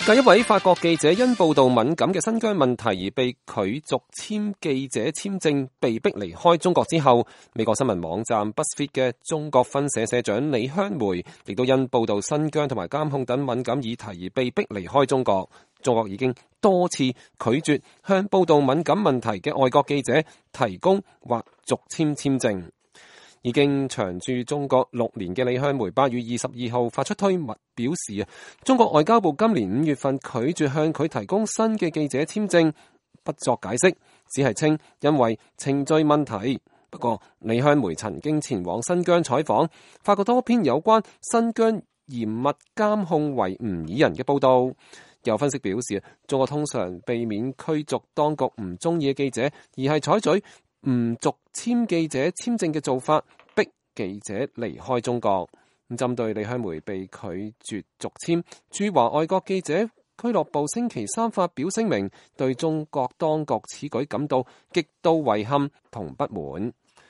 繼一位法國記者因報道敏感嘅新疆問題而被拒續簽記者簽證，被逼離開中國之後，美國新聞網站 BuzzFeed 嘅中國分社社長李香梅亦都因報道新疆同埋監控等敏感議題而被逼離開中國。中國已經多次拒絕向報道敏感問題嘅外國記者提供或續簽簽證。已經長駐中國6年嘅李香梅8月22號發出推文表示，中國外交部今年5月份拒絕向佢提供新嘅記者簽證，不作解釋，只係稱因為程序問題。不過李香梅曾經前往新疆採訪，發過多篇有關新疆嚴密監控維吾爾人嘅報道。有分析表示，中國通常避免驅逐當局唔中意嘅記者，而係採取唔續簽記者簽證嘅做法，逼記者離開中國。咁針對李香梅被拒絕續簽，駐華外國記者俱樂部星期三發表聲明，對中國當局此舉感到極度遺憾同不滿。